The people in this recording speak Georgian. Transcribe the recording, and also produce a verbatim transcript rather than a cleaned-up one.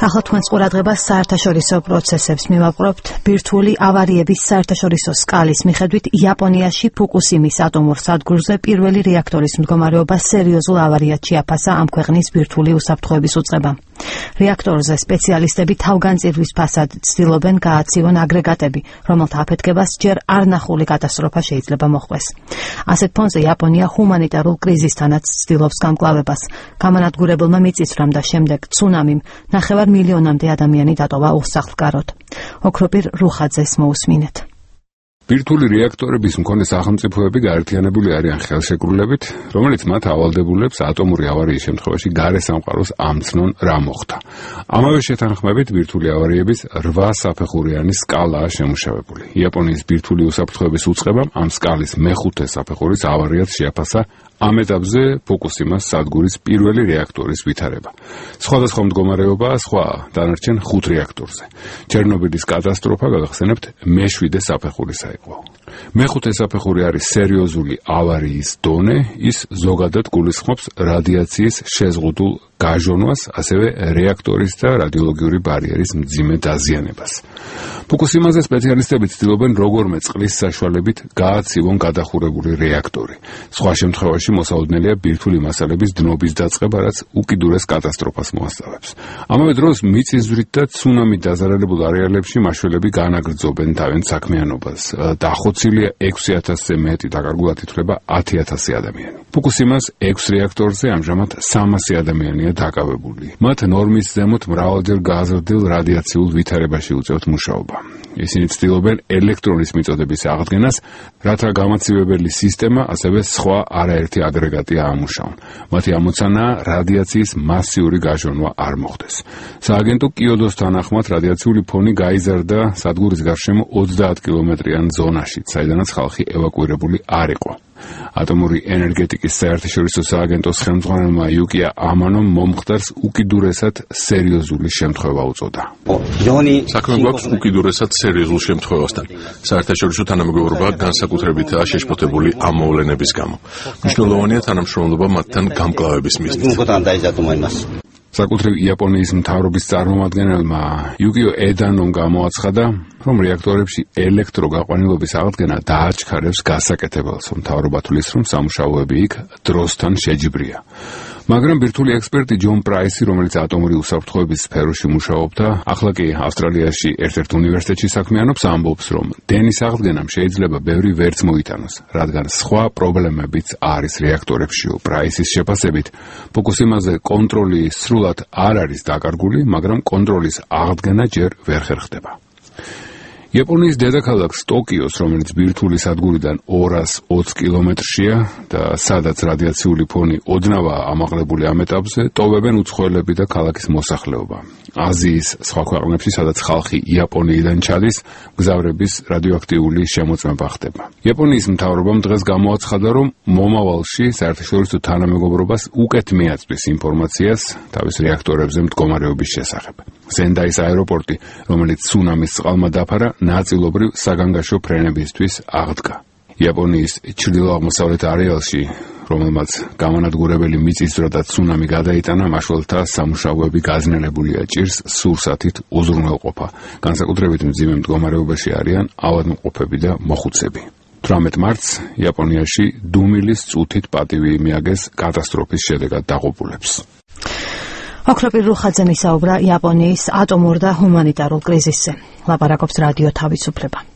ახლა თქვენს ყურადღებას საერთაშორისო პროცესებს მივაპყრობთ. ბირთვული ავარიების საერთაშორისო სკალის მიხედვით იაპონიაში ფუკუსიმის ატომურ სადგურზე პირველი რეაქტორის მდგომარეობა სერიოზულ ავარიად შეაფასა ამ ქვეყნის ბირთვული უსაფრთხოების უწყებამ. რეაქტორზე სპეციალისტები თავგანწირვის ფასად ცდილობენ გააცივონ აგრეგატები, რომელთა აფეთქებას ჯერ არნახული კატასტროფა შეიძლება მოჰყვეს. ასეთ ფონზე იაპონია ჰუმანიტარულ კრიზისთანაც ცდილობს გამკლავებას. გამანადგურებელმა მიწისძვრამ და შემდეგ ცუნამიმ ნახევარ მილიონამდე ადამიანი დატოვა უსახლკაროდ. ოქროპირ რუხაძეს მოусმინეთ. ბირთვული რეაქტორების მქონე სახელმწიფოები გაერთიანებული არიან ხელშეკრულებით, რომელიც მათ ავალდებულებს ატომური ავარიის შემთხვევაში გარე სამყაროს ამცნონ რა მოხდა. ამავე შეთანხმებით ბირთვული ავარიების რვა საფეხურიანი სკალაა შემუშავებული. იაპონიის ბირთვული უსაფრთხოების უწყებამ ამ სკალის მეხუთე საფეხურის ავარიად შეაფასა ამ ეტაპზე ფუკუსიმას სადგურის პირველი რეაქტორის ვითარება. სხვადასხვა მდგომარეობაა სხვა დანარჩენ ხუთ რეაქტორზე. ჩერნობილის კატასტროფა, გაგახსენებთ, მეშვიდე საფეხურისა იყო. მეხუთე საფეხური არის სერიოზული ავარიის დონე, ის ზოგადად გულისხმობს რადიაციის შეზღუდულ გაჟონვას, ასევე რეაქტორის და რადიოლოგიური ბარიერის მძიმე დაზიანებას. ფუკუსიმაზე სპეციალისტები ცდილობენ როგორმე წყლის საშუალებით გააცივონ გადახურებული რეაქტორი. სხვა შემთხვევაში მოსაოდნელია ბირთვული მასალების დნობის დაწყება, რაც უკიდურეს კატასტროფას მოასწავებს. ამავე დროს მიწისძვრით და ცუნამით დაზარალებულ არეალებში მაშველები განაგრძობენ თავიანთ საქმიანობას. დახოცილია ექვსი ათასზე მეტი, დაკარგულად ითვლება ათი ათასი ადამიანი. ფუკუსიმას ექვს რეაქტორზე ამჟამად სამასი ადამიანია დაკავებული. მათ ნორმის ზემოთ მრავალჯერ გაზრდილ რადიაციულ ვითარებაში უწევთ მუშაობა. ისინი ცდილობენ ელექტრონის მიწოდების აღდგენას, რათა გამაცივებელი სისტემა, ასევე სხვა არაერთი აგრეგატი აამუშავონ. მათი ამოცანაა რადიაციის მასიური გაჟონვა არ მოხდეს. სააგენტო კიოდოს თანახმად რადიაციული ფონი გაიზარდა სადგურის გარშემო ოცდაათ კილომეტრიან ზონაში, საიდანაც ხალხი ევაკუირებული არ იყო. ატომური ენერგეტიკის საერთაშორისო სააგენტოს ხელმძღვანელმა იუკია ამანომ მომხდარს უკიდურესად სერიოზული შემთხვევა უწოდა. საქმე გვაქვს უკიდურესად სერიოზულ შემთხვევასთან. საერთაშორისო თანამეგობრობა განსაკუთრებითაა შეშფოთებული ამ მოვლენების გამო. მნიშვნელოვანია თანამშრომლობა მათთან გამკლავების მიზნით. საკუთრივ იაპონიის მთავრობის წარმომადგენელმა იუკიო ედანომ გამოაცხადა, რომ რეაქტორებში ელექტროგაყვანილობის აღდგენა დააჩქარებს გასაკეთებელს, მთავრობა თვლის, რომ სამუშაოები იქ დროსთან შეჯიბრია. მაგრამ ბირთვული ექსპერტი ჯონ პრაისი, რომელიც ატომური უსაფრთხოების სფეროში მუშაობდა, ახლა კი ავსტრალიაში ერთ-ერთ უნივერსიტეტში საქმიანობს, ამბობს, რომ დენის აღდგენამ შეიძლება ბევრი ვერც მოიტანოს, რადგან სხვა პრობლემებიც არის რეაქტორებშიო. პრაისის შეფასებით, ფუკუსიმაზე კონტროლი სრულად არ არის დაკარგული, მაგრამ კონტროლის აღდგენა ჯერ ვერ ხერხდება. იაპონიის დედაქალაქს ტოკიოს, რომელიც ბირთვული სადგურიდან ორას ოცი კილომეტრშია და სადაც რადიაციული ფონი ოდნავაა ამაღლებული ამ ეტაპზე, ტოვებენ უცხოელები და ქალაქის მოსახლეობა. აზიის სხვა ქვეყნებში, სადაც ხალხი იაპონიიდან ჩადის, მგზავრების რადიოაქტიული შემოწმება ხდება. იაპონიის მთავრობამ დღეს გამოაცხადა, რომ მომავალში საერთაშორისო თანამეგობრობას უკეთ მიაწვის ინფორმაციას თავის რეაქტორებზე მდგომარეობის შესახებ. სენდაის აეროპორტი, რომელიც ცუნამის წყალმა დაფარა, ნაწილობრივ საგანგაშო ფრენებისთვის აღდგა. იაპონიის ჩრდილო-აღმოსავლეთ არეალში, რომელმაც გამანადგურებელი მიწისძვრა და ცუნამი გადაიტანა, მაშველთა სამუშაოები გაძნელებულია, ჭირს სურსათით უზრუნველყოფა. განსაკუთრებით მძიმე მდგომარეობაში არიან ავადმყოფები და მოხუცები. თვრამეტ მარტს იაპონიაში დუმილის წუთით პატივი მიაგეს კატასტროფის შედეგად დაღუპულებს. ოქროპირ რუხაძე მისაუბრა იაპონიის ატომურ და ჰუმანიტარულ კრიზისზე. ლაპარაკობს რადიო თავისუფლება.